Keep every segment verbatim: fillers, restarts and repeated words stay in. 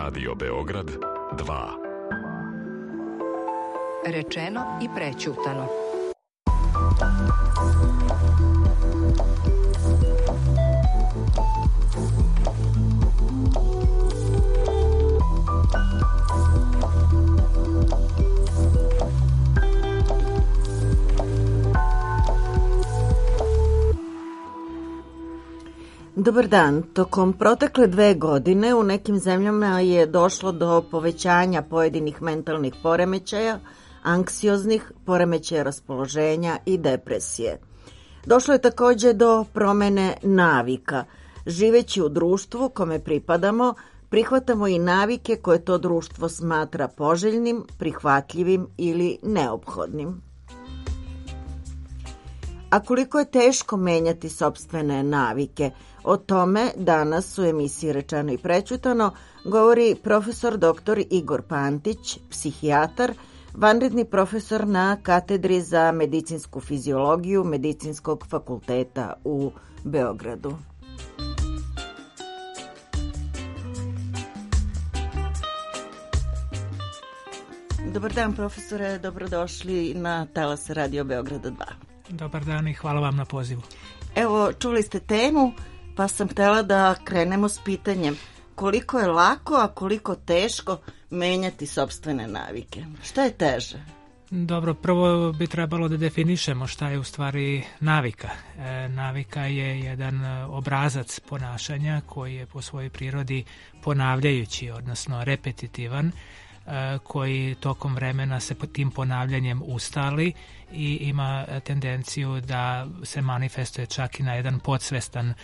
Radio Beograd dva. Rečeno i prećutano. Dobar dan. Tokom protekle dve godine u nekim zemljama je došlo do povećanja pojedinih mentalnih poremećaja, anksioznih, poremećaja raspoloženja i depresije. Došlo je takođe do promene navika. Živeći u društvu kome pripadamo, prihvatamo i navike koje to društvo smatra poželjnim, prihvatljivim ili neophodnim. A koliko je teško menjati sopstvene navike? O tome danas u emisiji Rečeno i prećutano govori profesor doktor Igor Pantić, psihijatar, vanredni profesor na katedri za medicinsku fiziologiju Medicinskog fakulteta u Beogradu. Dobar dan, profesore, dobrodošli na talas Radio Beograda dva. Dobar dan i hvala vam na pozivu. Evo, čuli ste temu, pa sam htjela da krenemo s pitanjem koliko je lako, a koliko teško menjati sopstvene navike. Šta je teže? Dobro, prvo bi trebalo da definišemo šta je u stvari navika. E, navika je jedan obrazac ponašanja koji je po svojoj prirodi ponavljajući, odnosno repetitivan, koji tokom vremena se tim ponavljanjem ustali i ima tendenciju da se manifestuje čak i na jedan podsvestan e,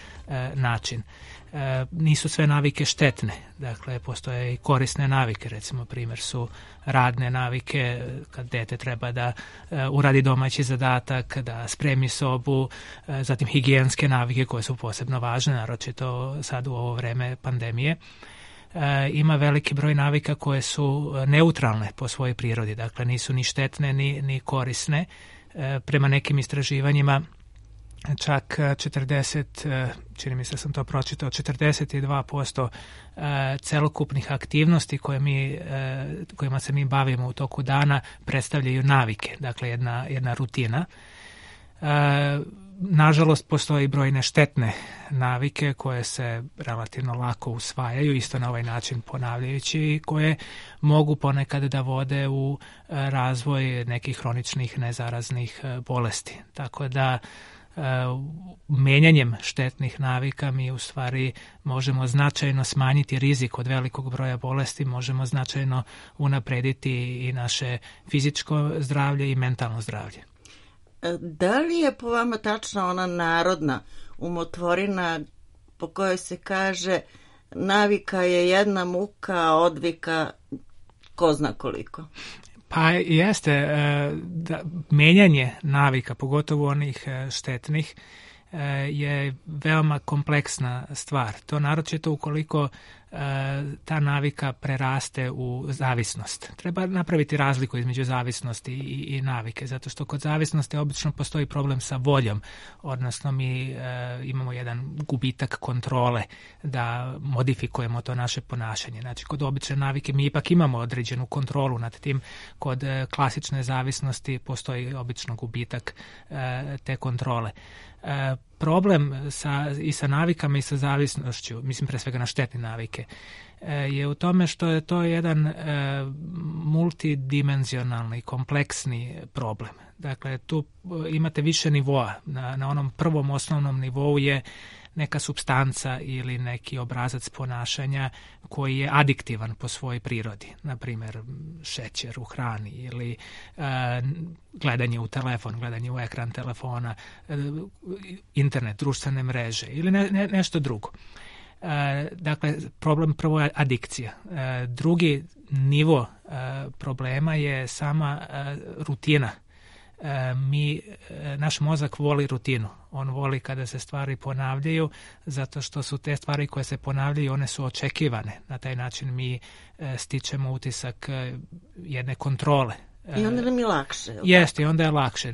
način. E, nisu sve navike štetne, dakle postoje i korisne navike, recimo primjer su radne navike, kad dete treba da e, uradi domaći zadatak, da spremi sobu, e, zatim higijenske navike koje su posebno važne, naročito sad u ovo vreme pandemije. E, ima veliki broj navika koje su neutralne po svojoj prirodi, dakle nisu ni štetne ni, ni korisne. E, prema nekim istraživanjima čak četrdeset, čini mi se sam to pročitao, četrdeset dva posto e, celokupnih aktivnosti koje mi, e, kojima se mi bavimo u toku dana predstavljaju navike, dakle jedna, jedna rutina. E, Nažalost, postoji brojne štetne navike koje se relativno lako usvajaju, isto na ovaj način ponavljajući, i koje mogu ponekad da vode u razvoj nekih hroničnih nezaraznih bolesti. Tako da menjanjem štetnih navika mi u stvari možemo značajno smanjiti rizik od velikog broja bolesti, možemo značajno unaprediti i naše fizičko zdravlje i mentalno zdravlje. Da li je po vama tačna ona narodna umotvorina po kojoj se kaže navika je jedna muka, a odvika ko zna koliko? Pa jeste, da, menjanje navika, pogotovo onih štetnih, je veoma kompleksna stvar. To naročito ukoliko ta navika preraste u zavisnost. Treba napraviti razliku između zavisnosti i, i navike, zato što kod zavisnosti obično postoji problem sa voljom, odnosno mi e, imamo jedan gubitak kontrole da modifikujemo to naše ponašanje. Znači, kod obične navike mi ipak imamo određenu kontrolu nad tim, kod e, klasične zavisnosti postoji obično gubitak e, te kontrole. E, problem sa, i sa navikama i sa zavisnošću, mislim pre svega na štetne navike, e, je u tome što je to jedan e, multidimenzionalni, kompleksni problem. Dakle, tu imate više nivoa. Na, na onom prvom osnovnom nivou je neka supstanca ili neki obrazac ponašanja koji je adiktivan po svojoj prirodi. Na primjer, šećer u hrani ili e, gledanje u telefon, gledanje u ekran telefona, e, internet, društvene mreže ili ne, ne, nešto drugo. E, dakle, problem prvo je adikcija. E, drugi nivo e, problema je sama e, rutina. Mi, naš mozak voli rutinu. On voli kada se stvari ponavljaju, zato što su te stvari koje se ponavljaju, one su očekivane. Na taj način mi stičemo utisak jedne kontrole I onda nam je lakše. Jeste, i onda je lakše.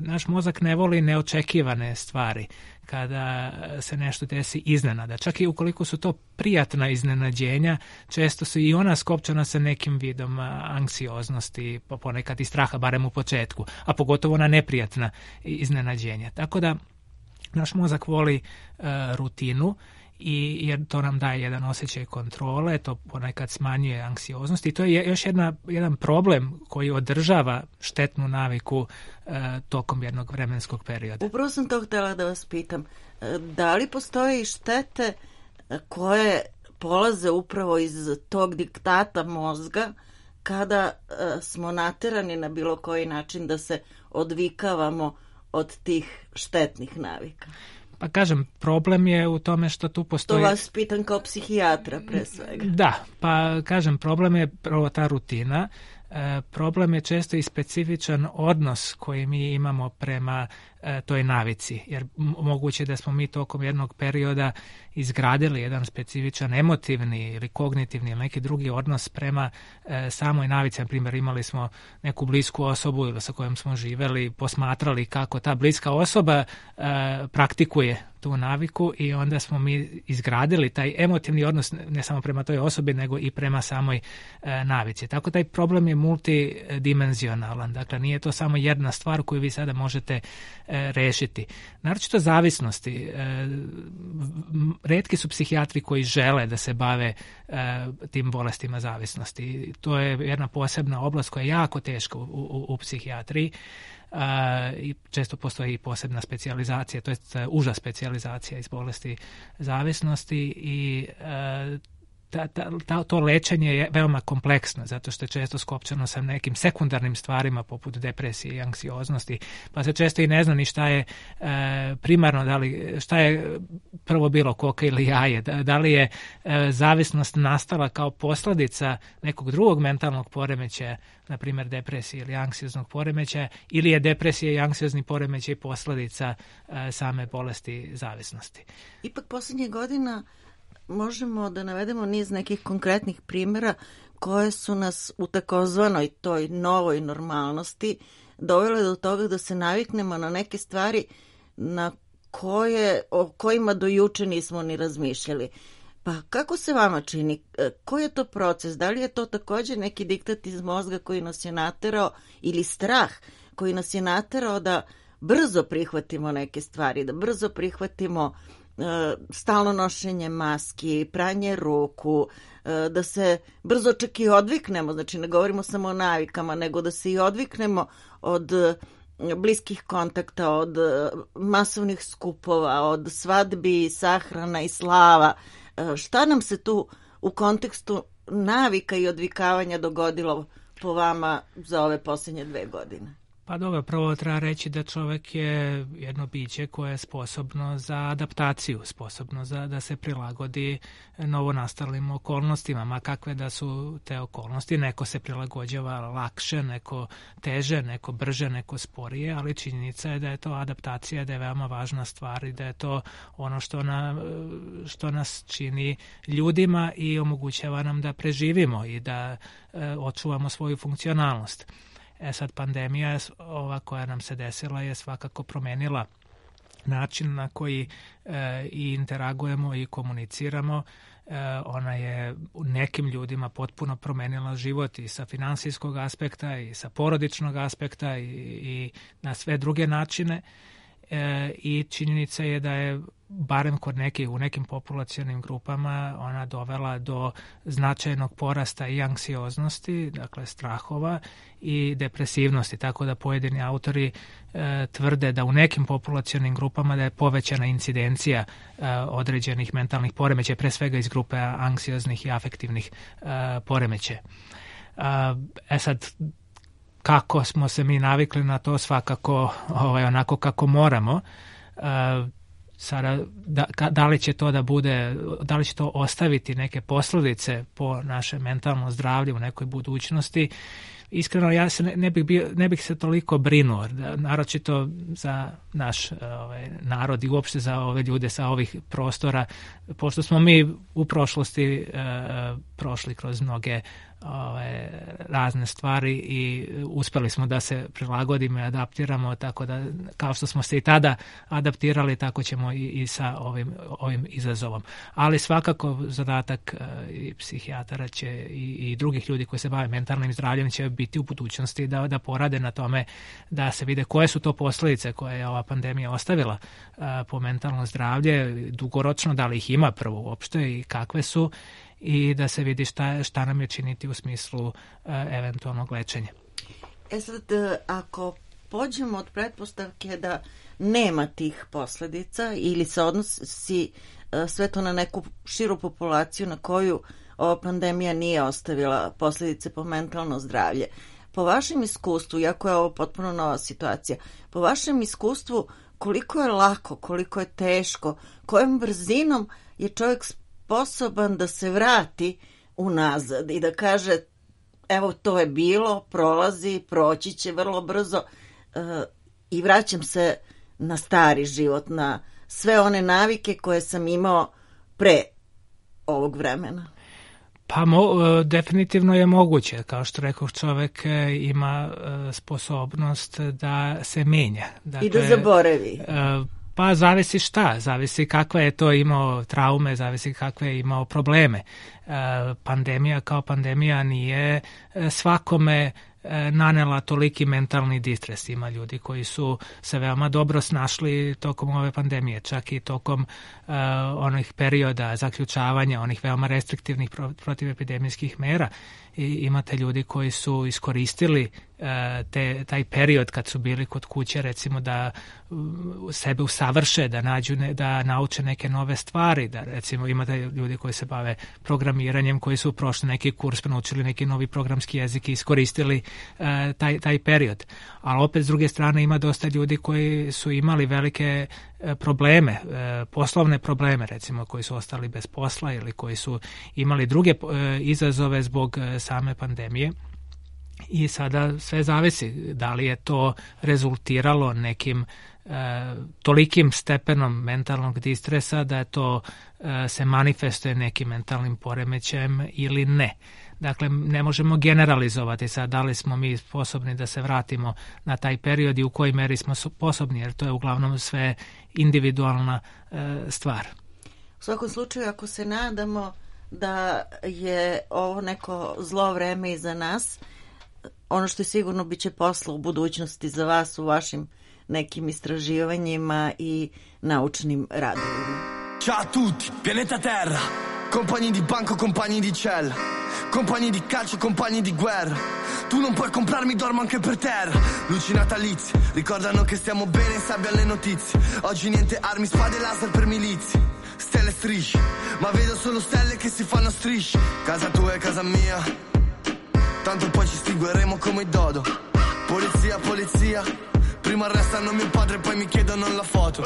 Naš mozak ne voli neočekivane stvari kada se nešto desi iznenada. Čak i ukoliko su to prijatna iznenađenja, često su i ona skopčana sa nekim vidom anksioznosti, pa ponekad i straha, barem u početku, a pogotovo na neprijatna iznenađenja. Tako da naš mozak voli uh, rutinu, i jer to nam daje jedan osjećaj kontrole, to ponekad smanjuje anksioznost i to je još jedna, jedan problem koji održava štetnu naviku e, tokom jednog vremenskog perioda. Upravo sam to htjela da vas pitam. Da li postoje štete koje polaze upravo iz tog diktata mozga kada e, smo naterani na bilo koji način da se odvikavamo od tih štetnih navika? Pa kažem, problem je u tome što tu postoji... To vas pitam kao psihijatra pre svega. Da, pa kažem, problem je prvo ta rutina. E, problem je često i specifičan odnos koji mi imamo prema e, toj navici, jer moguće da smo mi tokom jednog perioda izgradili jedan specifičan emotivni ili kognitivni ili neki drugi odnos prema e, samoj navici. Na primjer, imali smo neku blisku osobu ili sa kojom smo živeli, posmatrali kako ta bliska osoba e, praktikuje tu naviku i onda smo mi izgradili taj emotivni odnos ne samo prema toj osobi nego i prema samoj e, navici. Tako taj problem je multidimenzionalan. Dakle, nije to samo jedna stvar koju vi sada možete e, rešiti. Naročito zavisnosti. E, retki su psihijatri koji žele da se bave e, tim bolestima zavisnosti. To je jedna posebna oblast koja je jako teška u, u, u psihijatriji. Uh, i često postoji i posebna specijalizacija, to je uža specijalizacija iz bolesti zavisnosti i uh, ta, ta, ta, to lečenje je veoma kompleksno, zato što je često skopčano sa nekim sekundarnim stvarima poput depresije i anksioznosti, pa se često i ne zna ni šta je uh, primarno, da li, šta je prvo bilo, koka ili jaje, da, da li je uh, zavisnost nastala kao posljedica nekog drugog mentalnog poremećaja, na primjer depresije ili anksioznog poremećaja, ili je depresija i anksiozni poremećaj posljedica uh, same bolesti zavisnosti. Ipak posljednjih godina možemo da navedemo niz nekih konkretnih primjera koje su nas u takozvanoj toj novoj normalnosti dovele do toga da se naviknemo na neke stvari na koje, o kojima do juče nismo ni razmišljali. Pa kako se vama čini? Koji je to proces? Da li je to također neki diktat iz mozga koji nas je naterao ili strah koji nas je naterao da brzo prihvatimo neke stvari, da brzo prihvatimo uh, stalno nošenje maski, pranje ruku, uh, da se brzo čak i odviknemo, znači ne govorimo samo o navikama, nego da se i odviknemo od uh, bliskih kontakta, od uh, masovnih skupova, od svadbi, sahrana i slava. Šta nam se tu u kontekstu navika i odvikavanja dogodilo po vama za ove posljednje dve godine? Pa dobro, prvo treba reći da čovjek je jedno biće koje je sposobno za adaptaciju, sposobno za da se prilagodi novonastalim okolnostima, ma kakve da su te okolnosti. Neko se prilagođava lakše, neko teže, neko brže, neko sporije, ali činjenica je da je to adaptacija, da je veoma važna stvar i da je to ono što, na, što nas čini ljudima i omogućava nam da preživimo i da e, očuvamo svoju funkcionalnost. E sad, pandemija ova koja nam se desila je svakako promenila način na koji e, i interagujemo i komuniciramo. E, ona je u nekim ljudima potpuno promenila život i sa finansijskog aspekta i sa porodičnog aspekta i, i na sve druge načine. E, i činjenica je da je barem kod nekih, u nekim populacionim grupama ona dovela do značajnog porasta i anksioznosti, dakle strahova i depresivnosti, tako da pojedini autori e, tvrde da u nekim populacionim grupama da je povećana incidencija e, određenih mentalnih poremećaja, pre svega iz grupe anksioznih i afektivnih e, poremećaja. E sad, kako smo se mi navikli na to, svakako ovaj, onako kako moramo. E, sada, da, da li će to da bude, da li će to ostaviti neke posljedice po naše mentalno zdravlje u nekoj budućnosti? Iskreno, ja se ne, ne, bih, bio, ne bih se toliko brinuo, naročito za naš ovaj, narod i uopšte za ove ljude sa ovih prostora, pošto smo mi u prošlosti e, prošli kroz mnoge ove, razne stvari i uspeli smo da se prilagodimo i adaptiramo, tako da kao što smo se i tada adaptirali, tako ćemo i, i sa ovim, ovim izazovom. Ali svakako zadatak i psihijatara će i, i drugih ljudi koji se bave mentalnim zdravljem će biti u budućnosti da, da porade na tome da se vide koje su to posljedice koje je ova pandemija ostavila a, po mentalno zdravlje, dugoročno, da li ih ima prvo uopšte i kakve su, i da se vidi šta, šta nam je činiti u smislu uh, eventualnog lečenja. E sad, ako pođemo od pretpostavke da nema tih posljedica ili se odnosi uh, sve to na neku širu populaciju na koju ova pandemija nije ostavila posljedice po mentalno zdravlje, po vašem iskustvu, iako je ovo potpuno nova situacija, po vašem iskustvu koliko je lako, koliko je teško, kojom brzinom je čovjek sposoban da se vrati unazad i da kaže evo to je bilo, prolazi, proći će vrlo brzo uh, i vraćam se na stari život, na sve one navike koje sam imao pre ovog vremena. Pa mo, definitivno je moguće, kao što rekao, čovjek ima sposobnost da se menja. Dakle, i da zaboravi. Pa zavisi šta, zavisi kakve je to imao traume, zavisi kakve je imao probleme. Pandemija kao pandemija nije svakome nanela toliki mentalni distres. Ima ljudi koji su se veoma dobro snašli tokom ove pandemije, čak i tokom uh, onih perioda zaključavanja, onih veoma restriktivnih pro, protivepidemijskih mera. I imate ljudi koji su iskoristili uh, te, taj period kad su bili kod kuće, recimo da uh, sebe usavrše, da nađu ne, da nauče neke nove stvari, da recimo imate ljudi koji se bave programiranjem, koji su prošli neki kurs, naučili neki novi programski jezik i iskoristili uh, taj, taj period. Ali opet s druge strane ima dosta ljudi koji su imali velike uh, probleme, uh, poslovne probleme, recimo koji su ostali bez posla ili koji su imali druge uh, izazove zbog uh, same pandemije. I sada sve zavisi da li je to rezultiralo nekim e, tolikim stepenom mentalnog distresa da je to e, se manifestuje nekim mentalnim poremećajem ili ne. Dakle, ne možemo generalizovati sad da li smo mi sposobni da se vratimo na taj period i u kojoj meri smo sposobni, jer to je uglavnom sve individualna e, stvar. U svakom slučaju, ako se nadamo da je ovo neko zlo vreme iza nas, ono što je sigurno bit će posla u budućnosti za vas u vašim nekim istraživanjima i naučnim radovima. Ciao a tutti, pianeta Terra, compagni di banco, compagni di cella, compagni di calcio, compagni di guerra. Tu non puoi comprarmi, dormo anche per terra. Luci natalizie, ricordano che stiamo bene in sabbia alle notizie. Oggi niente armi, spade e laser per milizie. Stelle e strisce, ma vedo solo stelle che si fanno strisce. Casa tua e casa mia, tanto poi ci estingueremo come i dodo. Polizia, polizia, prima arrestano mio padre e poi mi chiedono la foto.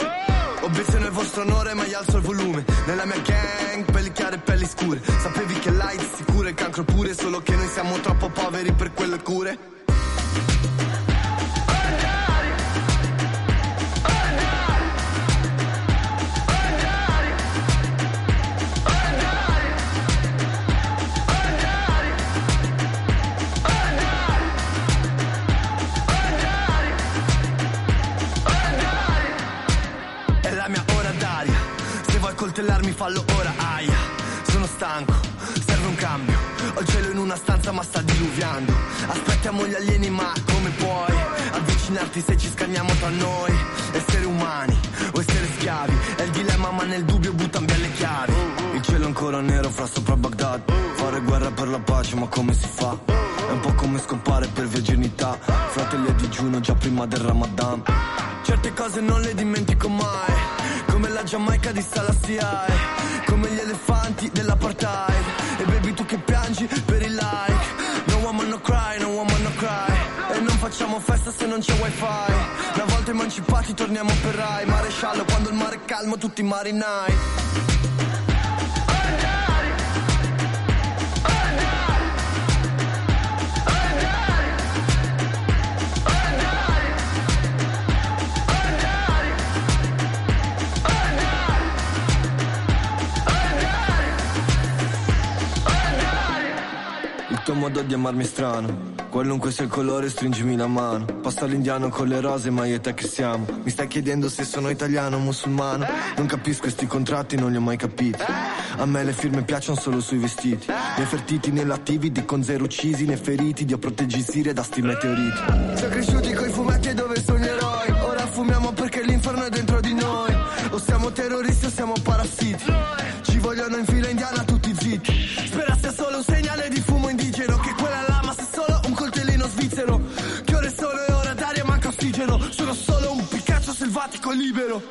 Obiezione il vostro onore ma io alzo il volume. Nella mia gang, pelli chiare e pelli scure. Sapevi che l'AIDS sicuro e il cancro pure, solo che noi siamo troppo poveri per quelle cure. Coltellarmi fallo ora, aia. Sono stanco, serve un cambio. Ho il cielo in una stanza ma sta diluviando. Aspettiamo gli alieni ma come puoi avvicinarti se ci scanniamo tra noi? Essere umani o essere schiavi è il dilemma, ma nel dubbio buttan via le chiavi. Il cielo ancora nero fra sopra Baghdad. Fare guerra per la pace ma come si fa? È un po' come scompare per virginità. Fratelli a digiuno già prima del Ramadan. Certe cose non le dimentico mai, come la Giamaica di Salassia, come gli elefanti dell'apartheid. E baby tu che piangi per il like. No woman no cry, no woman no cry. E non facciamo festa se non c'è wifi. Una volta emancipati torniamo per Rai. Maresciallo quando il mare è calmo tutti i marinai. modo di amarmi strano. Qualunque sia il colore stringimi la mano. Passa l'indiano con le rose ma io e te che siamo. Mi stai chiedendo se sono italiano o musulmano. Non capisco questi contratti, non li ho mai capiti. A me le firme piacciono solo sui vestiti. Nefertiti nell'attivi di con zero uccisi né feriti. Dio proteggi Siria da sti meteoriti. Siamo cresciuti coi fumetti e dove sono gli eroi. Ora fumiamo perché l'inferno è dentro di noi. O siamo terroristi o siamo parassiti. Ci vogliono in fila indiana tutti zitti. Spera sia solo un segnale di fumo indigeno. Che quella lama sia solo un coltellino svizzero. Che ore sono e ora d'aria manca ossigeno. Sono solo un Picasso selvatico libero.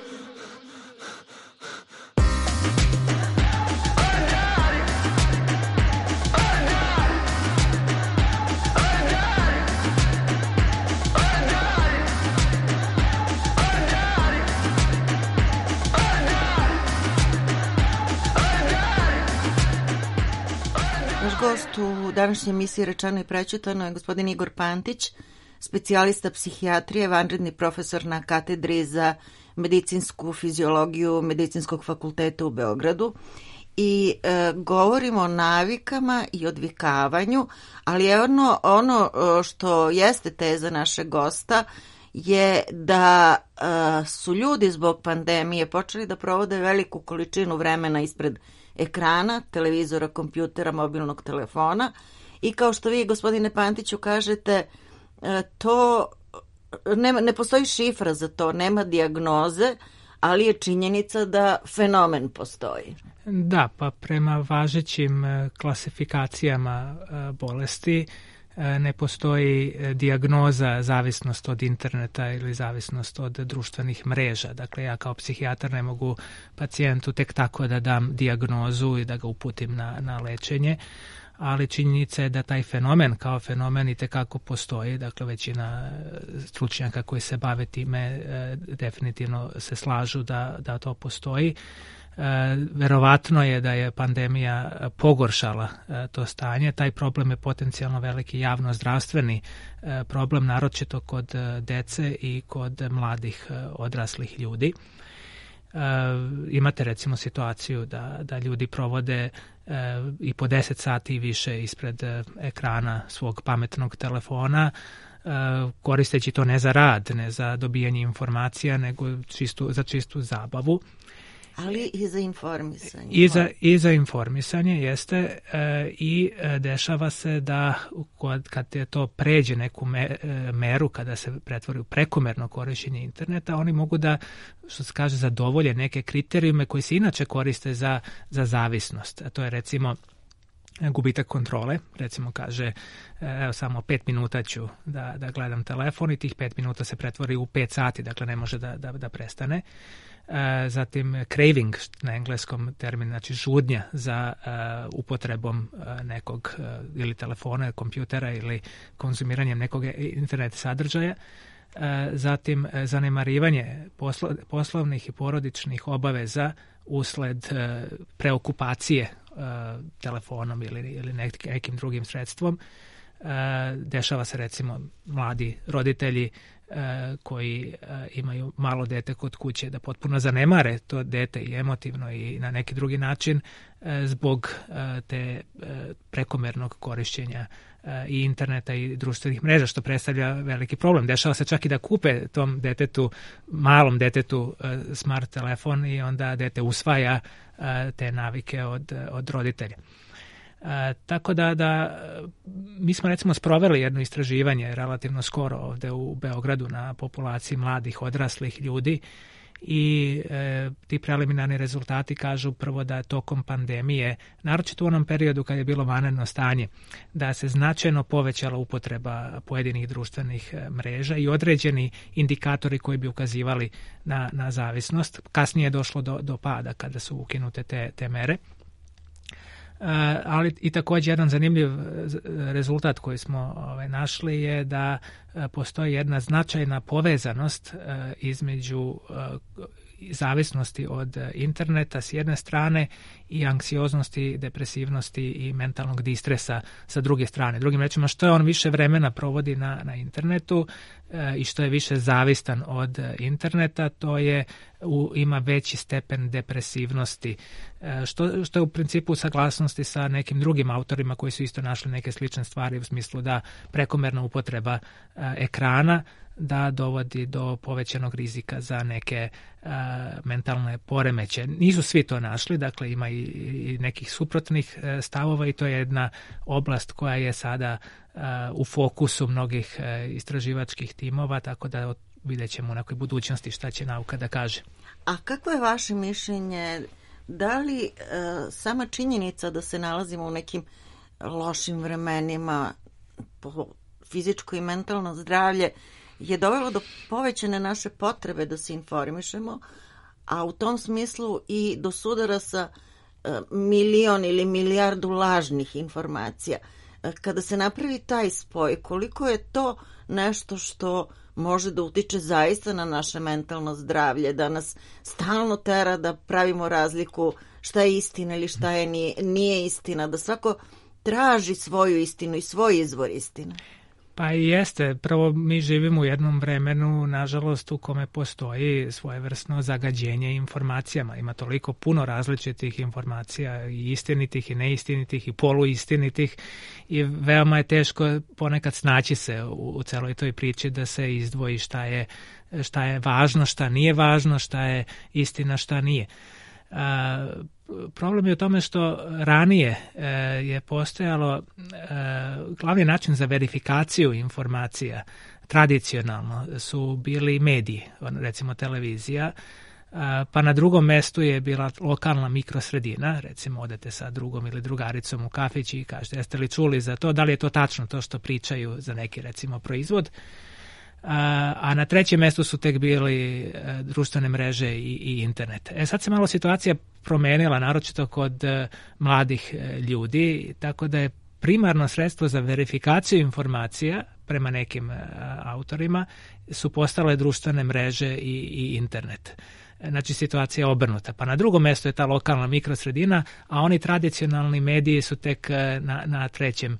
Naš gost u današnjoj emisiji Rečeno i prećutano je gospodin Igor Pantić, specijalista psihijatrije, vanredni profesor na katedri za medicinsku fiziologiju Medicinskog fakulteta u Beogradu. I e, govorimo o navikama i odvikavanju, ali ono, ono što jeste teza našeg gosta je da e, su ljudi zbog pandemije počeli da provode veliku količinu vremena ispred ekrana, televizora, kompjutera, mobilnog telefona i kao što vi, gospodine Pantiću, kažete, to ne, ne postoji šifra za to, nema dijagnoze, ali je činjenica da fenomen postoji. Da, pa prema važećim klasifikacijama bolesti ne postoji dijagnoza zavisnost od interneta ili zavisnost od društvenih mreža. Dakle, ja kao psihijatar ne mogu pacijentu tek tako da dam dijagnozu i da ga uputim na, na lečenje, ali činjenica je da taj fenomen kao fenomen itekako postoji. Dakle, većina stručnjaka koji se bave time definitivno se slažu da, da to postoji. E, verovatno je da je pandemija pogoršala e, to stanje. Taj problem je potencijalno veliki javno-zdravstveni e, problem, naročito kod e, dece i kod mladih e, odraslih ljudi. E, imate recimo situaciju da, da ljudi provode e, i po deset sati i više ispred e, ekrana svog pametnog telefona, e, koristeći to ne za rad, ne za dobijanje informacija, nego čistu, za čistu zabavu. Ali i za informisanje. I za, i za informisanje jeste e, i e, dešava se da kod, kad je to pređe neku me, e, meru, kada se pretvori u prekomerno korišćenje interneta, oni mogu da, što se kaže, zadovolje neke kriterijume koji se inače koriste za, za zavisnost. A to je recimo gubitak kontrole, recimo kaže evo samo pet minuta ću da, da gledam telefon i tih pet minuta se pretvori u pet sati, dakle ne može da, da, da prestane. E, zatim craving, na engleskom termin, znači žudnja za e, upotrebom e, nekog e, ili telefona, kompjutera ili konzumiranjem nekog internet sadržaja. E, zatim e, zanemarivanje poslo, poslovnih i porodičnih obaveza usled e, preokupacije telefonom ili, ili nekim drugim sredstvom. E, dešava se recimo mladi roditelji e, koji e, imaju malo dete kod kuće da potpuno zanemare to dete i emotivno i na neki drugi način e, zbog e, te e, prekomernog korišćenja e, i interneta i društvenih mreža, što predstavlja veliki problem. Dešava se čak i da kupe tom detetu, malom detetu e, smart telefon i onda dete usvaja te navike od, od roditelja. E, tako da, da mi smo recimo sproveli jedno istraživanje relativno skoro ovde u Beogradu na populaciji mladih odraslih ljudi i e, ti preliminarni rezultati kažu prvo da tokom pandemije, naročito u onom periodu kad je bilo vanredno stanje, da se značajno povećala upotreba pojedinih društvenih mreža i određeni indikatori koji bi ukazivali na, na zavisnost. Kasnije je došlo do, do pada kada su ukinute te, te mere. Uh, ali i također jedan zanimljiv rezultat koji smo ovaj, našli je da uh, postoji jedna značajna povezanost uh, između uh, zavisnosti od interneta s jedne strane i anksioznosti, depresivnosti i mentalnog distresa sa druge strane. Drugim rečima, što je on više vremena provodi na, na internetu e, i što je više zavistan od interneta, to je u, ima veći stepen depresivnosti, e, što, što je u principu u saglasnosti sa nekim drugim autorima koji su isto našli neke slične stvari u smislu da prekomerna upotreba e, ekrana da dovodi do povećanog rizika za neke uh, mentalne poremeće. Nisu svi to našli, dakle ima i, i nekih suprotnih uh, stavova i to je jedna oblast koja je sada uh, u fokusu mnogih uh, istraživačkih timova, tako da vidjet ćemo u nekoj budućnosti šta će nauka da kaže. A kako je vaše mišljenje, da li uh, sama činjenica da se nalazimo u nekim lošim vremenima po fizičko i mentalno zdravlje je dovelo do povećane naše potrebe da se informišemo, a u tom smislu i do sudara sa e, milion ili milijardu lažnih informacija. E, kada se napravi taj spoj, koliko je to nešto što može da utiče zaista na naše mentalno zdravlje, da nas stalno tera da pravimo razliku šta je istina ili šta je nije, nije istina, da svako traži svoju istinu i svoj izvor istine. Pa i jeste. Prvo, mi živimo u jednom vremenu, nažalost, u kome postoji svojevrsno zagađenje informacijama. Ima toliko puno različitih informacija, i istinitih i neistinitih i poluistinitih, i veoma je teško ponekad snaći se u, u celoj toj priči da se izdvoji šta je, šta je važno, šta nije važno, šta je istina, šta nije. A, problem je u tome što ranije e, je postojalo e, glavni način za verifikaciju informacija tradicionalno su bili mediji, recimo televizija, a, pa na drugom mestu je bila lokalna mikrosredina, recimo odete sa drugom ili drugaricom u kafić i kažete jeste li čuli za to, da li je to tačno to što pričaju za neki recimo proizvod. A na trećem mjestu su tek bili društvene mreže i, i internet. E sad se malo situacija promenila, naročito kod mladih ljudi, tako da je primarno sredstvo za verifikaciju informacija prema nekim autorima su postale društvene mreže i, i internet. Znači situacija je obrnuta. Pa na drugom mjestu je ta lokalna mikrosredina, a oni tradicionalni mediji su tek na, na trećem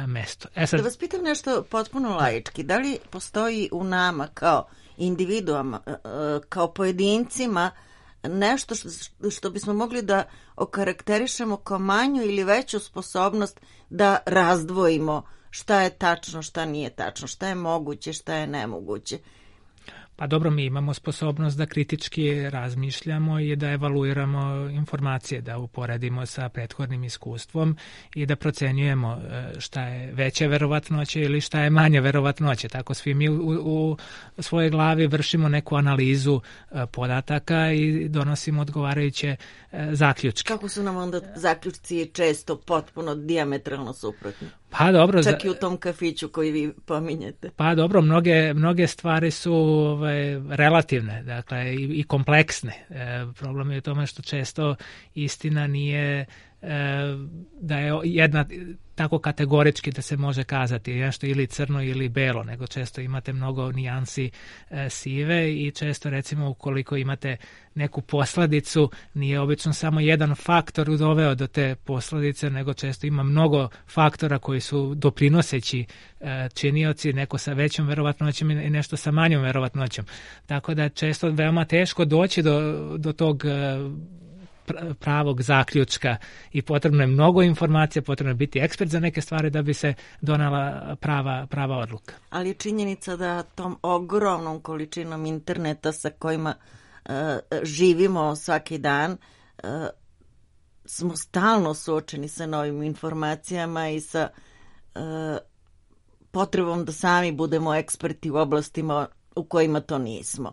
mestu. E sad, da vas pitam nešto potpuno laički. Da li postoji u nama kao individuama, kao pojedincima nešto što, što bismo mogli da okarakterišemo kao manju ili veću sposobnost da razdvojimo šta je tačno, šta nije tačno, šta je moguće, šta je nemoguće? Pa dobro, mi imamo sposobnost da kritički razmišljamo i da evaluiramo informacije, da uporedimo sa prethodnim iskustvom i da procenjujemo šta je veća verovatnoća ili šta je manja verovatnoća. Tako svi mi u, u svojoj glavi vršimo neku analizu podataka i donosimo odgovarajuće zaključke. Kako su nam onda zaključci često potpuno dijametralno suprotni? Pa dobro, čak i u tom kafiću koji vi pominjete. Pa dobro, mnoge, mnoge stvari su ovaj, relativne, dakle i, i kompleksne. E, problem je u tome što često istina nije e, da je jedna tako kategorički da se može kazati nešto ili crno ili belo, nego često imate mnogo nijansi e, sive i često recimo ukoliko imate neku posledicu, nije obično samo jedan faktor doveo do te posledice, nego često ima mnogo faktora koji su doprinoseći e, činioci, neko sa većom verovatnoćom i nešto sa manjom verovatnoćom. Tako da je često veoma teško doći do, do tog e, pravog zaključka i potrebno je mnogo informacija, potrebno je biti ekspert za neke stvari da bi se donala prava, prava odluka. Ali je činjenica da tom ogromnom količinom interneta sa kojima uh, živimo svaki dan uh, smo stalno suočeni sa novim informacijama i sa uh, potrebom da sami budemo eksperti u oblastima u kojima to nismo.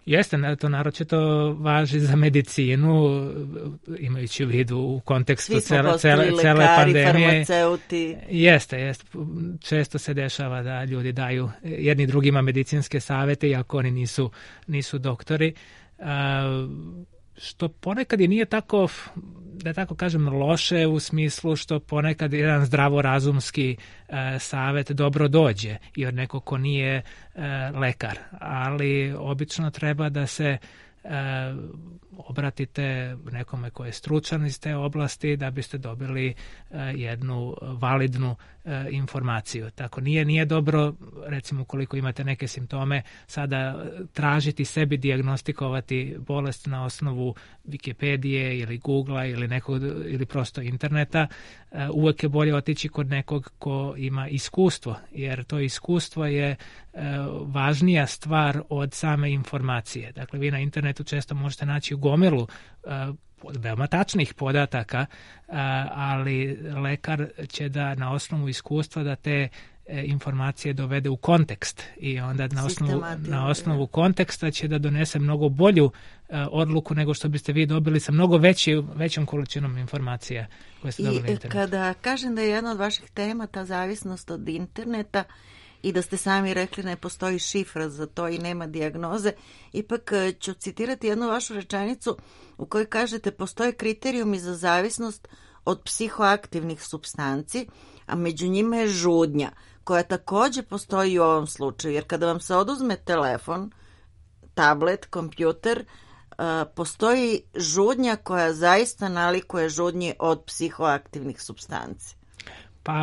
Jeste, to naročito važi za medicinu, imajući u vidu u kontekstu cele, cele, cele lekari, pandemije. Farmaceuti. Jeste, jeste. Često se dešava da ljudi daju jedni drugima medicinske savete, iako oni nisu, nisu doktori. A, što ponekad i nije tako, da tako kažem, loše u smislu što ponekad jedan zdravorazumski e, savet dobro dođe i od nekog ko nije e, lekar, ali obično treba da se obratite nekome ko je stručan iz te oblasti da biste dobili jednu validnu informaciju. Tako nije nije dobro, recimo ukoliko imate neke simptome, sada tražiti sebi dijagnostikovati bolest na osnovu Wikipedije ili Googlea ili nekog ili prosto interneta. Uvijek je bolje otići kod nekog ko ima iskustvo, jer to iskustvo je važnija stvar od same informacije. Dakle, vi na internetu često možete naći u gomilu veoma tačnih podataka, ali lekar će da na osnovu iskustva da te informacije dovede u kontekst i onda na osnovu, na osnovu konteksta će da donese mnogo bolju odluku nego što biste vi dobili sa mnogo veći, većom količinom informacija koje ste dobili na internetu. I kada kažem da je jedna od vaših tema ta zavisnost od interneta i da ste sami rekli ne postoji šifra za to i nema dijagnoze, ipak ću citirati jednu vašu rečenicu u kojoj kažete postoje kriterijumi za zavisnost od psihoaktivnih supstanci, a među njima je žudnja, koja također postoji u ovom slučaju, jer kada vam se oduzme telefon, tablet, kompjuter, postoji žudnja koja zaista nalikuje žudnji od psihoaktivnih supstanci. Pa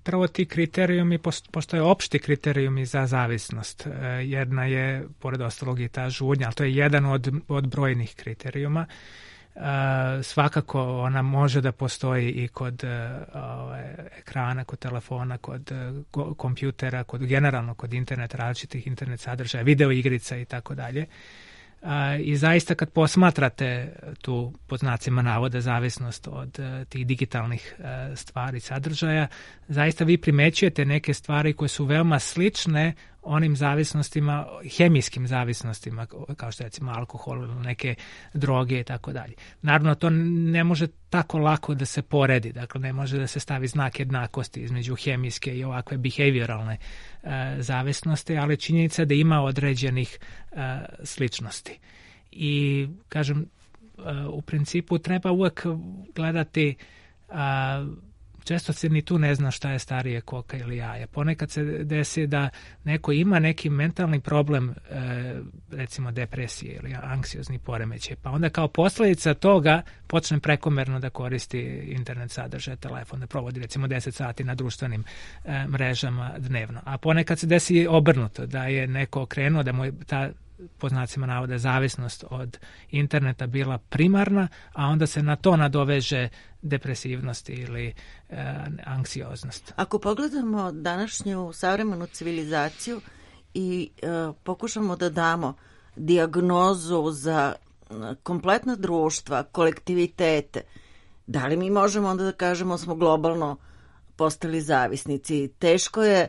prvo ti kriterijumi, postoje opšti kriterijumi za zavisnost. Jedna je, pored ostalog, i ta žudnja, ali to je jedan od, od brojnih kriterijuma. Uh, svakako ona može da postoji i kod uh, ekrana, kod telefona, kod uh, kompjutera, kod generalno kod internet, različitih internet sadržaja, video igrica i tako dalje. I zaista kad posmatrate tu pod znacima navoda zavisnost od uh, tih digitalnih uh, stvari, sadržaja, zaista vi primećujete neke stvari koje su veoma slične onim zavisnostima, hemijskim zavisnostima, kao što je recimo alkohol, neke droge i tako dalje. Naravno, to ne može tako lako da se poredi, dakle ne može da se stavi znak jednakosti između hemijske i ovakve behavioralne uh, zavisnosti, ali činjenica da ima određenih uh, sličnosti. I, kažem, uh, u principu treba uvek gledati uh, često se ni tu ne zna šta je starije, koka ili jaja. Ponekad se desi da neko ima neki mentalni problem, recimo depresije ili anksiozni poremećaj, pa onda kao posljedica toga počne prekomerno da koristi internet sadržaj, telefon, da provodi recimo deset sati na društvenim mrežama dnevno. A ponekad se desi obrnuto, da je neko okrenuo, da mu je ta po znacima navoda zavisnost od interneta bila primarna, a onda se na to nadoveže depresivnost ili e, anksioznost. Ako pogledamo današnju savremenu civilizaciju i e, pokušamo da damo dijagnozu za kompletna društva, kolektivitete, da li mi možemo onda da kažemo smo globalno postali zavisnici? Teško je,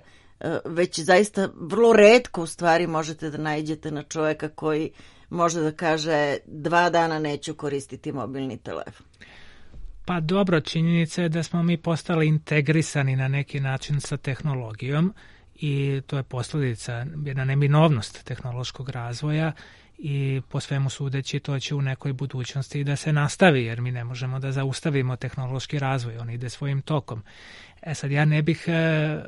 već zaista vrlo retko u stvari možete da naiđete na čovjeka koji može da kaže dva dana neću koristiti mobilni telefon. Pa dobro, činjenica je da smo mi postali integrisani na neki način sa tehnologijom i to je posljedica, jedna neminovnost tehnološkog razvoja i po svemu sudeći to će u nekoj budućnosti da se nastavi, jer mi ne možemo da zaustavimo tehnološki razvoj, on ide svojim tokom. E sad, ja ne bih e,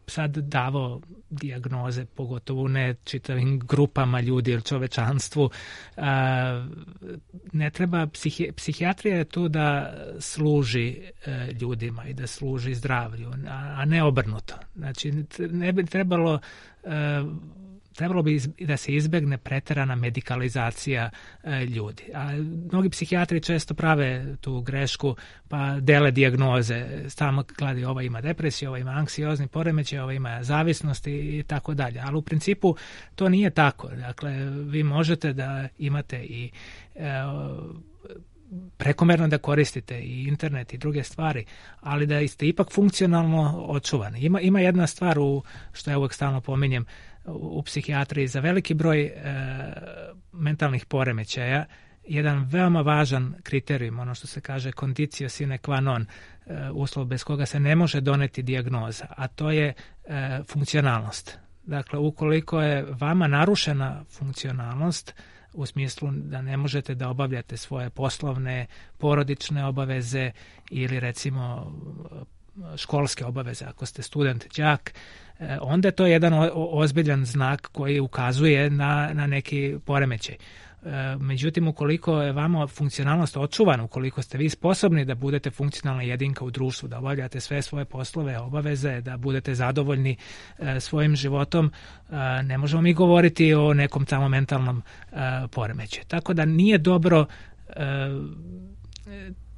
sad davao dijagnoze, pogotovo ne čitavim grupama ljudi ili čovečanstvu. Ne treba, psihi, psihijatrija je tu da služi ljudima i da služi zdravlju, a ne obrnuto. Znači, ne bi trebalo trebalo bi da se izbegne preterana medikalizacija e, ljudi. A mnogi psihijatri često prave tu grešku pa dele dijagnoze. Stalno gledaju ova ima depresiju, ova ima anksiozni poremećaj, ova ima zavisnost i, i tako dalje. Ali u principu to nije tako. Dakle, vi možete da imate i e, prekomerno da koristite i internet i druge stvari, ali da ste ipak funkcionalno očuvani. Ima, ima jedna stvar u, što ja uvijek stalno pominjem, u psihijatriji za veliki broj e, mentalnih poremećaja, jedan veoma važan kriterijum, ono što se kaže conditio sine qua non, e, uslov bez koga se ne može doneti dijagnoza, a to je e, funkcionalnost. Dakle, ukoliko je vama narušena funkcionalnost, u smislu da ne možete da obavljate svoje poslovne, porodične obaveze ili recimo školske obaveze, ako ste student, đak, onda je to jedan ozbiljan znak koji ukazuje na, na neki poremećaj. Međutim, ukoliko je vama funkcionalnost očuvana, ukoliko ste vi sposobni da budete funkcionalna jedinka u društvu, da obavljate sve svoje poslove, obaveze, da budete zadovoljni svojim životom, ne možemo mi govoriti o nekom tamo mentalnom poremećaju. Tako da nije dobro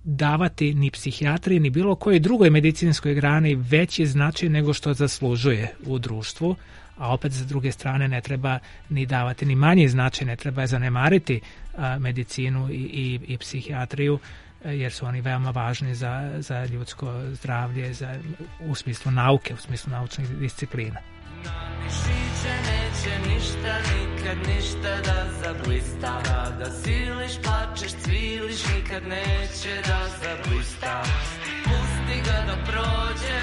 davati ni psihijatriji ni bilo kojoj drugoj medicinskoj grani veći značaj nego što zaslužuje u društvu, a opet sa druge strane ne treba ni davati ni manji značaj, ne treba zanemariti a, medicinu i, i, i psihijatriju, jer su oni veoma važni za, za ljudsko zdravlje, za, u smislu nauke, u smislu naučnih disciplina. Na mišiće neće ništa, nikad ništa da zablista, da siliš, plačeš, cviliš, nikad neće da zablista. Pusti ga da prođe,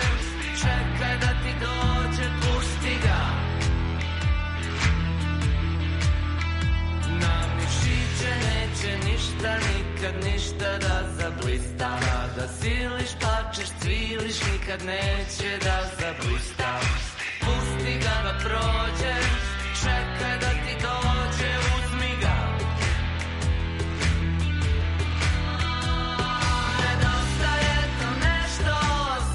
čekaj da ti dođe, pusti ga. Na mišiće neće ništa, nikad ništa da zablista, da siliš, plačeš, cviliš, nikad neće da zablista. Pusti ga da prođe, čekaj da ti dođe, uzmi ga. Nedostaje to nešto,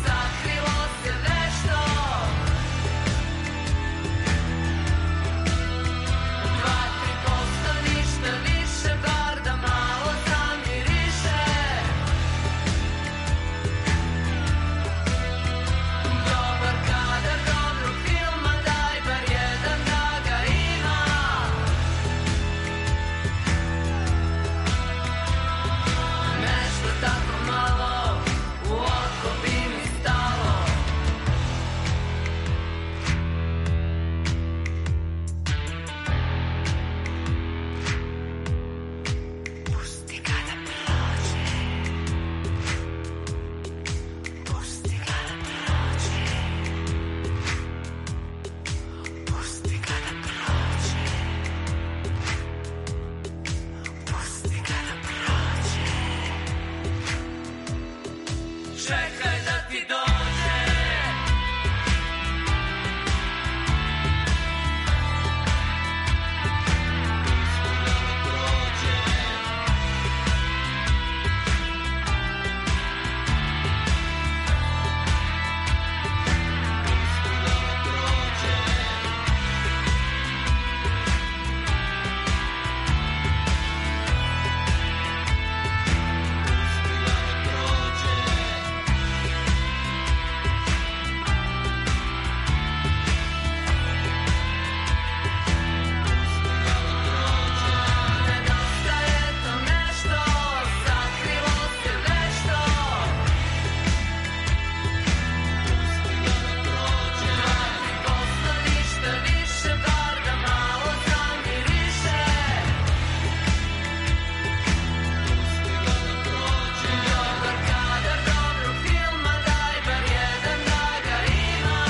sakrilo se nešto. Dva, tri posto, ništa više, bar da malo zamiriše. Dobar kadar, dobro filma, daj bar jedan da ga ima. Nešto tako malo u oko bi mi stalo. Pusti ga da prođe. Pusti ga da prođe. Pusti ga da prođe. Pusti ga da prođe. Čekaj da ti dođe. Nedostaje to nešto, sakrilo se nešto. Dva, tri posto, ništa više, bar da malo zamiriše. Dobar kadar, dobro filma, daj bar jedan da ga ima.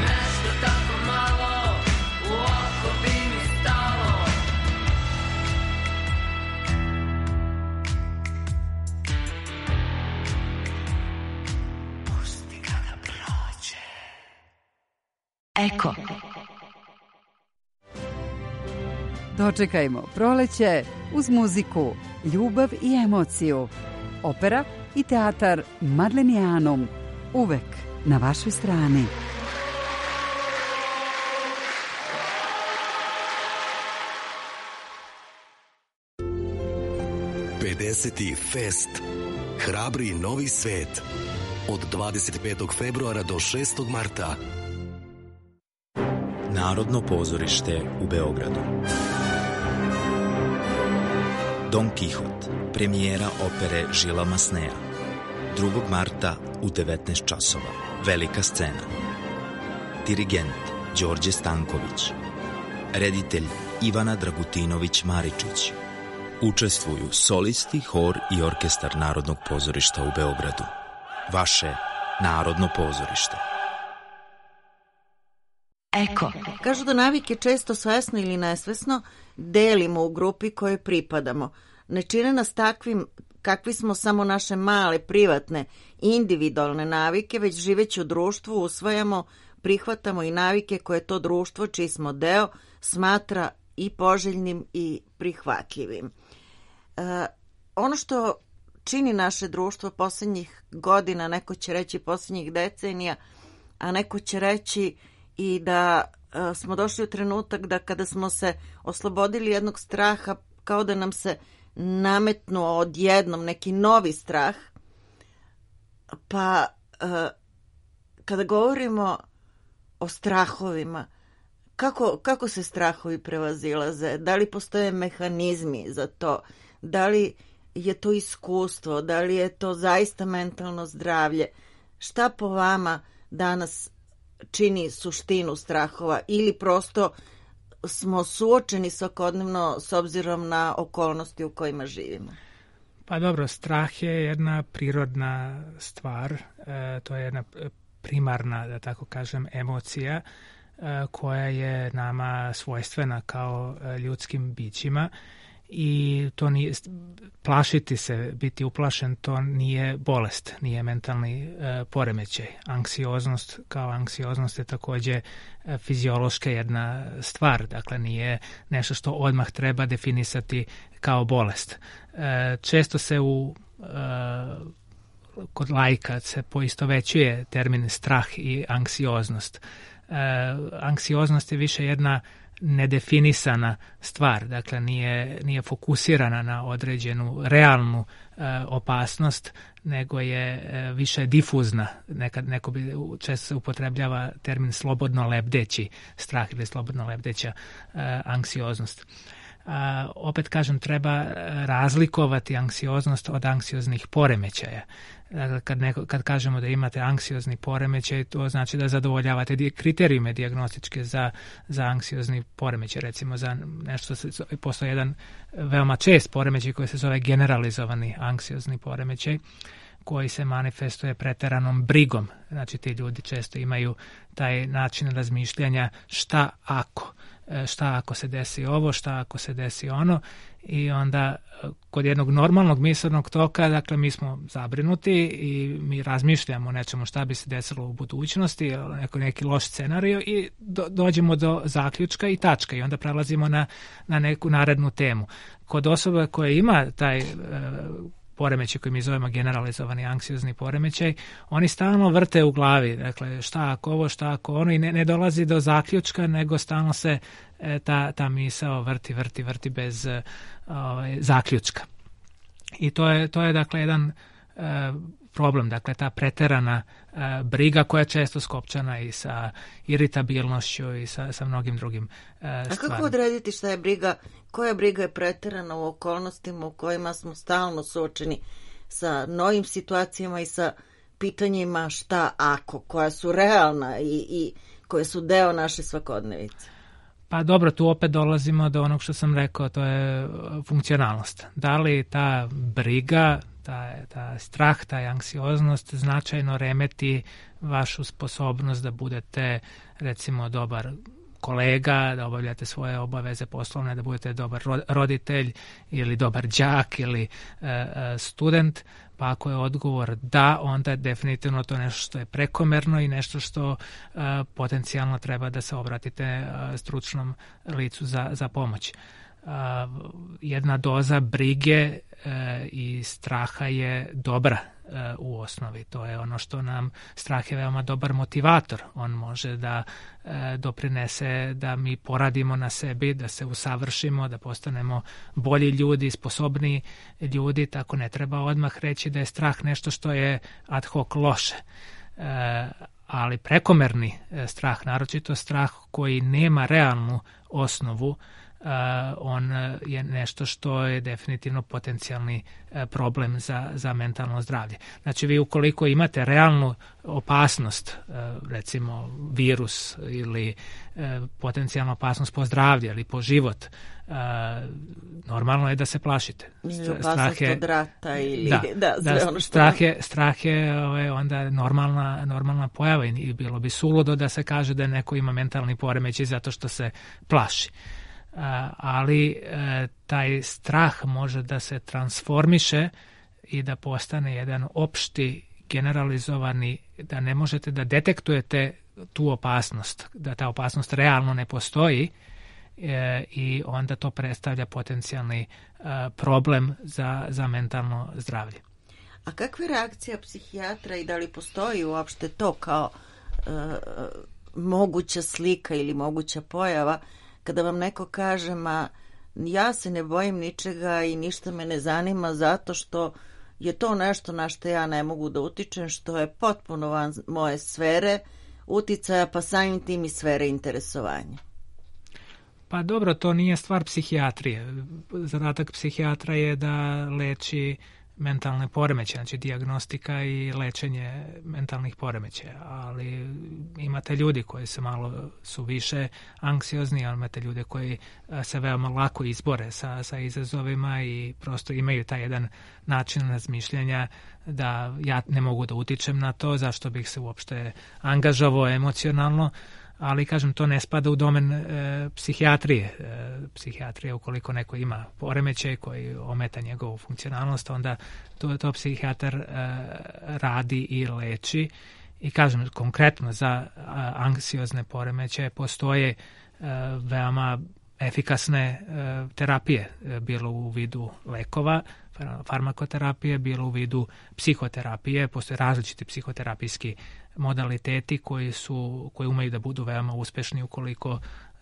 Nešto tako malo u oko bi mi stalo. Pusti ga da prođe. Eko. Dočekajmo proleće uz muziku, ljubav i emociju. Opera i teatar Madlenianum. Uvek na vašoj strani. pedeseti Fest. Hrabri novi svet. Od dvadeset petog februara do šestog marta. Narodno pozorište u Beogradu. Don Kihot, premijera opere Žila Masneja. drugog marta u devetnaest časova. Velika scena. Dirigent Đorđe Stanković. Reditelj Ivana Dragutinović-Maričić. Učestvuju solisti, hor i orkestar Narodnog pozorišta u Beogradu. Vaše Narodno pozorište. Eko. Kažu da navike često svesno ili nesvesno delimo u grupi kojoj pripadamo. ne čine nas takvim kakvi smo samo naše male, privatne, individualne navike, već živeći u društvu usvajamo, prihvatamo i navike koje to društvo, čiji smo deo, smatra i poželjnim i prihvatljivim. E, ono što čini naše društvo posljednjih godina, neko će reći posljednjih decenija, a neko će reći i da e, smo došli u trenutak da kada smo se oslobodili jednog straha, kao da nam se nametnuo odjednom neki novi strah, pa e, kada govorimo o strahovima, kako, kako se strahovi prevazilaze, da li postoje mehanizmi za to, da li je to iskustvo, da li je to zaista mentalno zdravlje, šta po vama danas čini suštinu strahova ili prosto smo suočeni svakodnevno s obzirom na okolnosti u kojima živimo? Pa dobro, strah je jedna prirodna stvar, e, to je jedna primarna, da tako kažem, emocija e, koja je nama svojstvena kao e, ljudskim bićima i to nije, plašiti se, biti uplašen, to nije bolest, nije mentalni e, poremećaj. Anksioznost kao anksioznost je također e, fiziološka jedna stvar, dakle nije nešto što odmah treba definisati kao bolest. E, često se u e, kod laika se poistovećuje termin strah i anksioznost. E, anksioznost je više jedna nedefinisana stvar, dakle nije, nije fokusirana na određenu realnu e, opasnost, nego je e, više difuzna. Nekad neko bi, često se upotrebljava termin slobodno lebdeći strah ili slobodno lebdeća e, anksioznost. A, opet kažem, treba razlikovati anksioznost od anksioznih poremećaja. Dakle, kad, neko, kad kažemo da imate anksiozni poremećaj, to znači da zadovoljavate kriterijume dijagnostičke za, za anksiozni poremećaj. Recimo za nešto, se, postoji jedan veoma čest poremećaj koji se zove generalizovani anksiozni poremećaj, koji se manifestuje preteranom brigom. Znači ti ljudi često imaju taj način razmišljanja šta ako, šta ako se desi ovo, šta ako se desi ono, i onda kod jednog normalnog misaonog toka, dakle mi smo zabrinuti i mi razmišljamo o nečemu šta bi se desilo u budućnosti, neko, neki loš scenarij i do, dođemo do zaključka i tačka i onda prelazimo na, na neku narednu temu. Kod osoba koja ima taj e, poremećaj koji mi zovemo generalizovani anksiozni poremećaj, oni stalno vrte u glavi, dakle šta ako ovo, šta ako ono, i ne, ne dolazi do zaključka, nego stalno se e, ta, ta misao vrti, vrti, vrti bez e, ovaj, zaključka. I to je, to je dakle jedan e, problem, dakle ta preterana e, briga koja je često skopčana i sa iritabilnošću i sa, sa mnogim drugim e, stvarima. A kako odrediti šta je briga, koja briga je preterana u okolnostima u kojima smo stalno suočeni sa novim situacijama i sa pitanjima šta ako, koja su realna i, i koje su deo naše svakodnevice? Pa dobro, tu opet dolazimo do onog što sam rekao, to je funkcionalnost. Da li ta briga, ta, ta strah, ta anksioznost značajno remeti vašu sposobnost da budete, recimo, dobar kolega, da obavljate svoje obaveze poslovne, da budete dobar roditelj ili dobar đak ili e, student, pa ako je odgovor da, onda je definitivno to nešto što je prekomerno i nešto što e, potencijalno treba da se obratite e, stručnom licu za, za pomoć. Uh, jedna doza brige uh, i straha je dobra uh, u osnovi. To je ono što nam, strah je veoma dobar motivator. On može da uh, doprinese da mi poradimo na sebi, da se usavršimo, da postanemo bolji ljudi, sposobniji ljudi, tako ne treba odmah reći da je strah nešto što je ad hoc loše. Uh, ali prekomerni uh, strah, naročito strah koji nema realnu osnovu, Uh, on je nešto što je definitivno potencijalni uh, problem za, za mentalno zdravlje. Znači vi ukoliko imate realnu opasnost, uh, recimo virus ili uh, potencijalnu opasnost po zdravlje ili po život, uh, normalno je da se plašite. Ili opasnost je, od rata ili da, da, sve da, ono što... Strah je, strah je ovaj, onda normalna, normalna pojava i bilo bi suludo da se kaže da neko ima mentalni poremećaj zato što se plaši. ali taj strah može da se transformiše i da postane jedan opšti, generalizovani, da ne možete da detektujete tu opasnost, da ta opasnost realno ne postoji e, i onda to predstavlja potencijalni e, problem za, za mentalno zdravlje. A kakva je reakcija psihijatra i da li postoji uopšte to kao e, moguća slika ili moguća pojava kada vam neko kaže ma ja se ne bojim ničega i ništa me ne zanima zato što je to nešto na što ja ne mogu da utičem, što je potpuno van moje sfere uticaja, pa samim tim i sfere interesovanja. Pa dobro, to nije stvar psihijatrije. Zadatak psihijatra je da leči mentalne poremećaje, znači dijagnostika i lečenje mentalnih poremećaja, ali imate ljudi koji se malo su više anksiozni, ali imate ljude koji se veoma lako izbore sa, sa izazovima i prosto imaju taj jedan način razmišljanja da ja ne mogu da utičem na to, zašto bih se uopšte angažovao emocionalno, ali kažem to ne spada u domen e, psihijatrije. E, psihijatrija ukoliko neko ima poremećaj koji ometa njegovu funkcionalnost, onda to, to psihijatar e, radi i leči. I kažem konkretno za a, anksiozne poremećaje postoje e, veoma efikasne e, terapije, e, bilo u vidu lekova, farmakoterapije, bilo u vidu psihoterapije. Postoje različiti psihoterapijski modaliteti koji su koji umeju da budu veoma uspešni ukoliko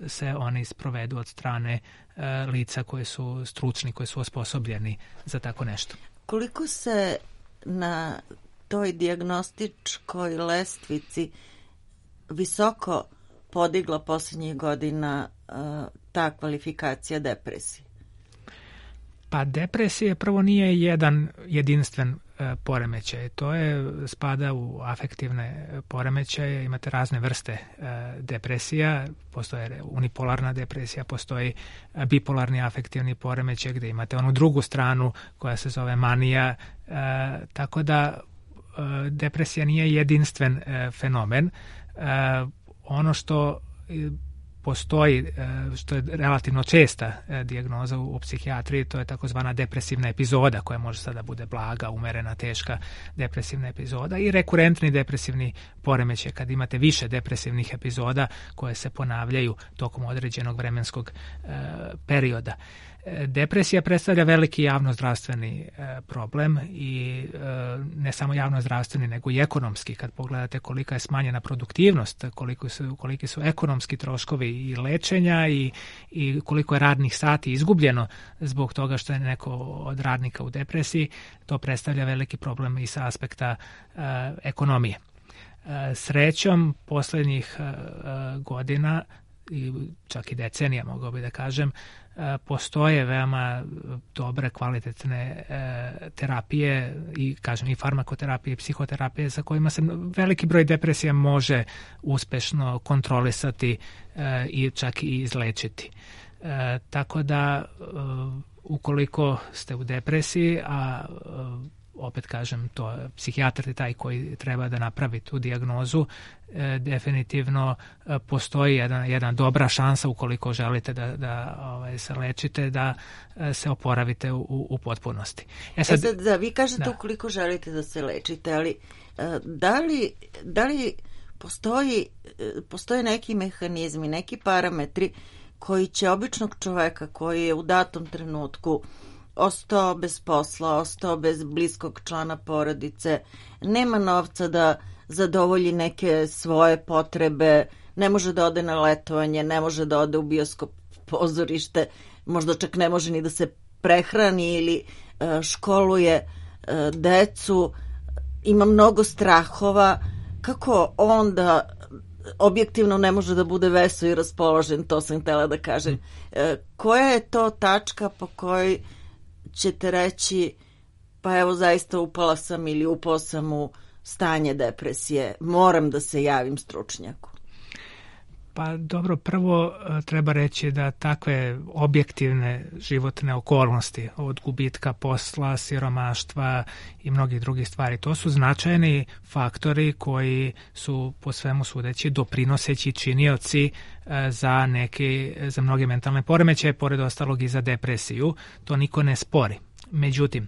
se oni sprovedu od strane e, lica koji su stručni, koji su osposobljeni za tako nešto. Koliko se na toj dijagnostičkoj lestvici visoko podigla posljednjih godina e, ta kvalifikacija depresije? Pa depresija prvo nije jedan jedinstven e, poremećaj. To je spada u afektivne poremećaje. Imate razne vrste e, depresija. Postoje unipolarna depresija, postoji bipolarni afektivni poremećaj gde imate onu drugu stranu koja se zove manija. E, tako da e, depresija nije jedinstven e, fenomen. E, ono što postoji, što je relativno česta dijagnoza u psihijatriji, to je takozvana depresivna epizoda koja može sada bude blaga, umerena, teška depresivna epizoda i rekurentni depresivni poremećaj kad imate više depresivnih epizoda koje se ponavljaju tokom određenog vremenskog perioda. Depresija predstavlja veliki javnozdravstveni problem i ne samo javnozdravstveni nego i ekonomski. Kad pogledate kolika je smanjena produktivnost, koliko su, koliki su ekonomski troškovi i lečenja i, i koliko je radnih sati izgubljeno zbog toga što je neko od radnika u depresiji, to predstavlja veliki problem i sa aspekta uh, ekonomije. Uh, srećom, posljednjih uh, godina i čak i decenija, mogao bi da kažem, postoje veoma dobre, kvalitetne e, terapije i, kažem, i farmakoterapije i psihoterapije sa kojima se veliki broj depresija može uspešno kontrolisati e, i čak i izlečiti. E, tako da, e, ukoliko ste u depresiji, a e, opet kažem, to psihijatar je taj koji treba da napravi tu dijagnozu, e, definitivno e, postoji jedna, jedna dobra šansa ukoliko želite da, da ovaj, se lečite, da e, se oporavite u, u potpunosti. E sad, e sad da, vi kažete da. Ukoliko želite da se lečite, ali e, da li, da li postoji, e, postoje neki mehanizmi, neki parametri koji će običnog čoveka koji je u datom trenutku ostao bez posla, ostao bez bliskog člana porodice, nema novca da zadovolji neke svoje potrebe, ne može da ode na letovanje, ne može da ode u bioskop, pozorište, možda čak ne može ni da se prehrani ili e, školuje e, decu, ima mnogo strahova, kako onda objektivno ne može da bude vesel i raspoložen, to sam htjela da kažem. E, koja je to tačka po kojoj ćete reći, pa evo zaista upala sam ili upao sam u stanje depresije, moram da se javim stručnjaku? Pa dobro, prvo treba reći da takve objektivne životne okolnosti, od gubitka posla, siromaštva i mnogih drugih stvari, to su značajni faktori koji su po svemu sudeći doprinoseći činioci za neki, za mnoge mentalne poremećaje, pored ostalog i za depresiju. To niko ne spori. Međutim,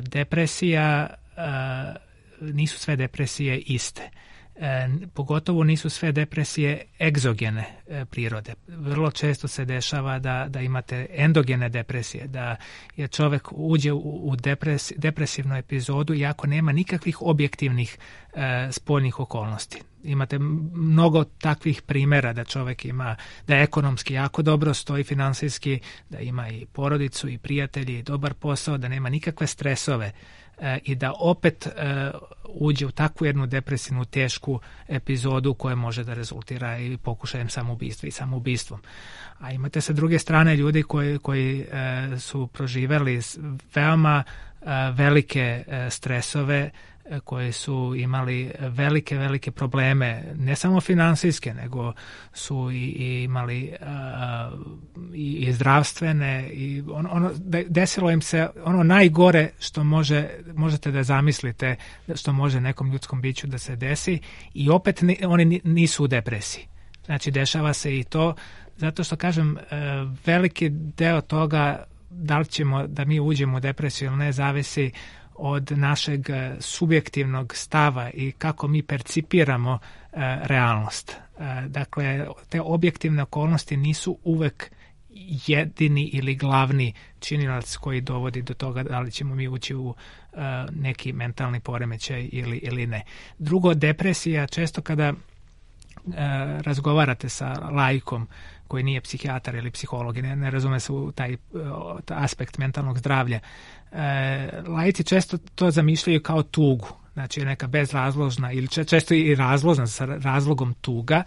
depresija, nisu sve depresije iste. E, pogotovo nisu sve depresije egzogene e, prirode. Vrlo često se dešava da, da imate endogene depresije, da je čovjek uđe u, u depres, depresivnu epizodu iako nema nikakvih objektivnih e, spoljnih okolnosti. Imate mnogo takvih primjera da čovjek ima, da ekonomski jako dobro stoji, finansijski, da ima i porodicu i prijatelji, i dobar posao, da nema nikakve stresove e, i da opet e, uđe u takvu jednu depresivnu tešku epizodu koja može da rezultira i pokušajem samoubistva i samoubistvom. A imate sa druge strane ljudi koji, koji e, su proživjeli veoma e, velike e, stresove, koji su imali velike, velike probleme, ne samo finansijske, nego su i, i imali uh, i, i zdravstvene, i ono, ono, desilo im se ono najgore što može, možete da zamislite što može nekom ljudskom biću da se desi, i opet ni, oni nisu u depresiji. Znači, dešava se i to, zato što kažem, veliki deo toga, da li ćemo da mi uđemo u depresiju ili ne, zavisi od našeg subjektivnog stava i kako mi percipiramo e, realnost. E, dakle, te objektivne okolnosti nisu uvek jedini ili glavni činilac koji dovodi do toga da li ćemo mi ući u e, neki mentalni poremećaj ili, ili ne. Drugo, depresija, često kada e, razgovarate sa laikom koji nije psihijatar ili psiholog i ne, ne razume se u taj, taj aspekt mentalnog zdravlja, e, laici često to zamišljaju kao tugu, znači neka bezrazložna ili često i razložna sa razlogom tuga.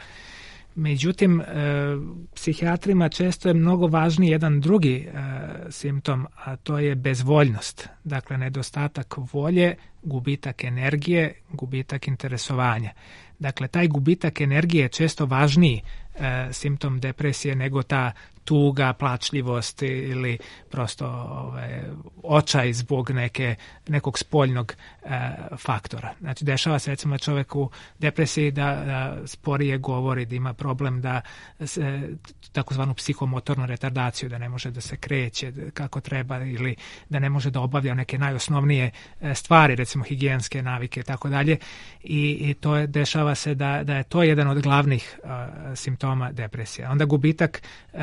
Međutim, e, psihijatrima često je mnogo važniji jedan drugi e, simptom, a to je bezvoljnost. Dakle, nedostatak volje, gubitak energije, gubitak interesovanja. Dakle, taj gubitak energije je često važniji e, simptom depresije nego ta tuga, plačljivost ili prosto ove, očaj zbog neke, nekog spoljnog e, faktora. Znači, dešava se recimo čovjek u depresiji da, da sporije govori, da ima problem da se, takozvanu psihomotornu retardaciju, da ne može da se kreće kako treba ili da ne može da obavlja neke najosnovnije stvari, recimo higijenske navike i tako dalje. I to je, dešava se da, da je to jedan od glavnih uh, simptoma depresije. Onda gubitak uh,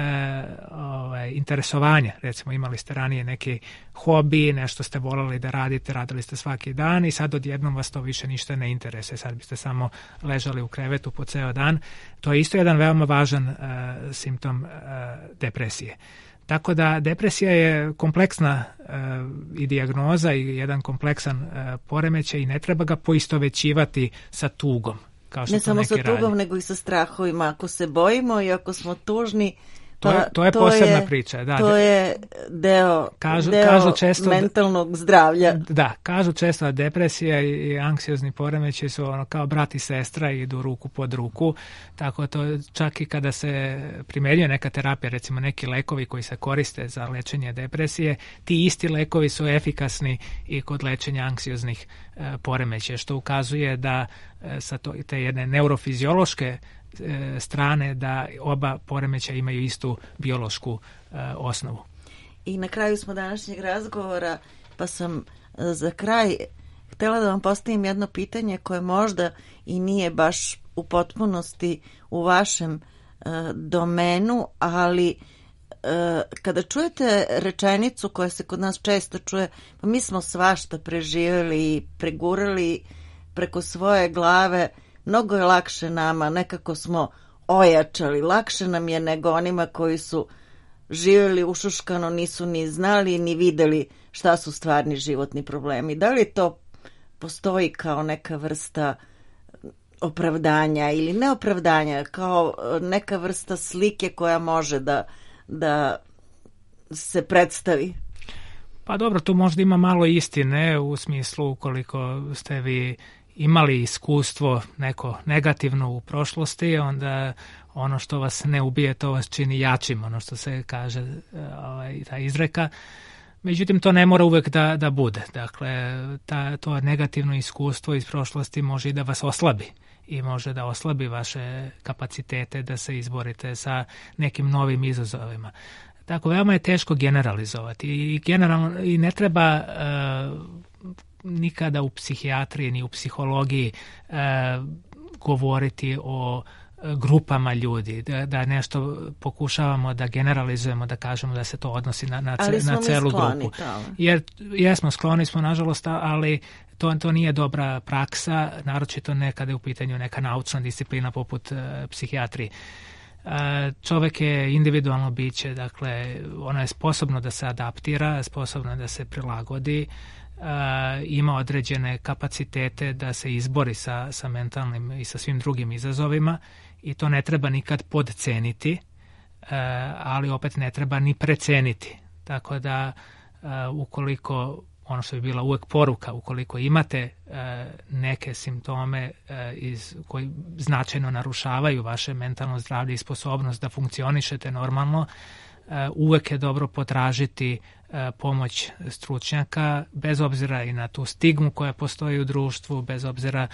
ovaj, interesovanja, recimo imali ste ranije neki hobi, nešto ste volali da radite, radili ste svaki dan i sad odjednom vas to više ništa ne interesuje, sad biste samo ležali u krevetu po ceo dan. To je isto jedan veoma važan uh, simptom uh, depresije. Tako da depresija je kompleksna uh, i dijagnoza i jedan kompleksan uh, poremećaj i ne treba ga poistovećivati sa tugom. Kao što ne to samo sa tugom, radi. nego i sa strahovima. Ako se bojimo i ako smo tužni, to je, to je to posebna je, priča. Da, to je deo, kažu, deo kažu često mentalnog da, zdravlja. Da, kažu često da depresija i, i anksiozni poremećaj su ono kao brat i sestra i idu ruku pod ruku, tako to čak i kada se primenjuje neka terapija, recimo neki lekovi koji se koriste za lečenje depresije, ti isti lekovi su efikasni i kod lečenja anksioznih e, poremećaja, što ukazuje da e, sa to, te jedne neurofiziološke strane da oba poremećaja imaju istu biološku uh, osnovu. I na kraju smo današnjeg razgovora, pa sam uh, za kraj htjela da vam postavim jedno pitanje koje možda i nije baš u potpunosti u vašem uh, domenu, ali uh, kada čujete rečenicu koja se kod nas često čuje, pa mi smo svašta preživjeli i pregurali preko svoje glave, mnogo je lakše nama, nekako smo ojačali, lakše nam je nego onima koji su živjeli ušuškano, nisu ni znali ni videli šta su stvarni životni problemi. Da li to postoji kao neka vrsta opravdanja ili neopravdanja, kao neka vrsta slike koja može da, da se predstavi? Pa dobro, tu možda ima malo istine u smislu ukoliko ste vi imali iskustvo neko negativno u prošlosti, onda ono što vas ne ubije, to vas čini jačim, ono što se kaže, ovaj, ta izreka. Međutim, to ne mora uvek da, da bude. Dakle, ta, to negativno iskustvo iz prošlosti može i da vas oslabi i može da oslabi vaše kapacitete da se izborite sa nekim novim izazovima. Tako, veoma je teško generalizovati i, generalno, i ne treba uh, nikada u psihijatriji ni u psihologiji uh, govoriti o grupama ljudi, da, da nešto pokušavamo da generalizujemo, da kažemo da se to odnosi na, na, ce, na celu grupu. Jer jesmo, skloni smo, nažalost, ali to, to nije dobra praksa, naročito ne kada je u pitanju neka naučna disciplina poput uh, psihijatrije. Uh, čovek je individualno biće, dakle, ono je sposobno da se adaptira, sposobno da se prilagodi, Uh, ima određene kapacitete da se izbori sa, sa mentalnim i sa svim drugim izazovima i to ne treba nikad podceniti, uh, ali opet ne treba ni preceniti. Tako da uh, ukoliko, ono što bi bila uvek poruka, ukoliko imate uh, neke simptome uh, iz, koji značajno narušavaju vaše mentalno zdravlje i sposobnost da funkcionišete normalno, uh, uvek je dobro potražiti pomoć stručnjaka, bez obzira i na tu stigmu koja postoji u društvu, bez obzira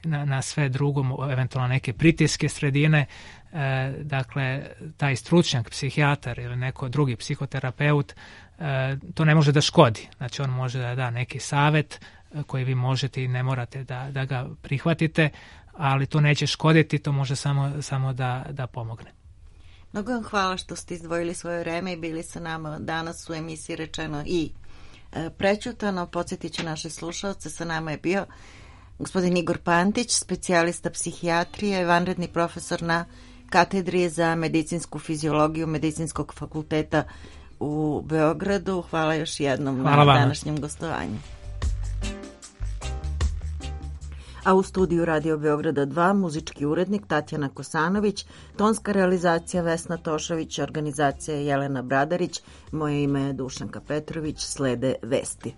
na, na sve drugo, eventualno neke pritiske sredine. E, dakle, taj stručnjak, psihijatar ili neko drugi psihoterapeut, e, to ne može da škodi. Znači, on može da da neki savet koji vi možete i ne morate da, da ga prihvatite, ali to neće škoditi, to može samo, samo da, da pomogne. Mnogo vam hvala što ste izdvojili svoje vreme i bili sa nama danas u emisiji Rečeno i e, prećutano. Podsjetit ću naše slušalce, sa nama je bio gospodin Igor Pantić, specijalista psihijatrije, vanredni profesor na katedri za medicinsku fiziologiju Medicinskog fakulteta u Beogradu. Hvala još jednom hvala na vam. Današnjem gostovanju. A u studiju Radio Beograda dva muzički urednik Tatjana Kosanović, tonska realizacija Vesna Tošović, organizacija Jelena Bradarić, moje ime je Dušanka Petrović, slede vesti.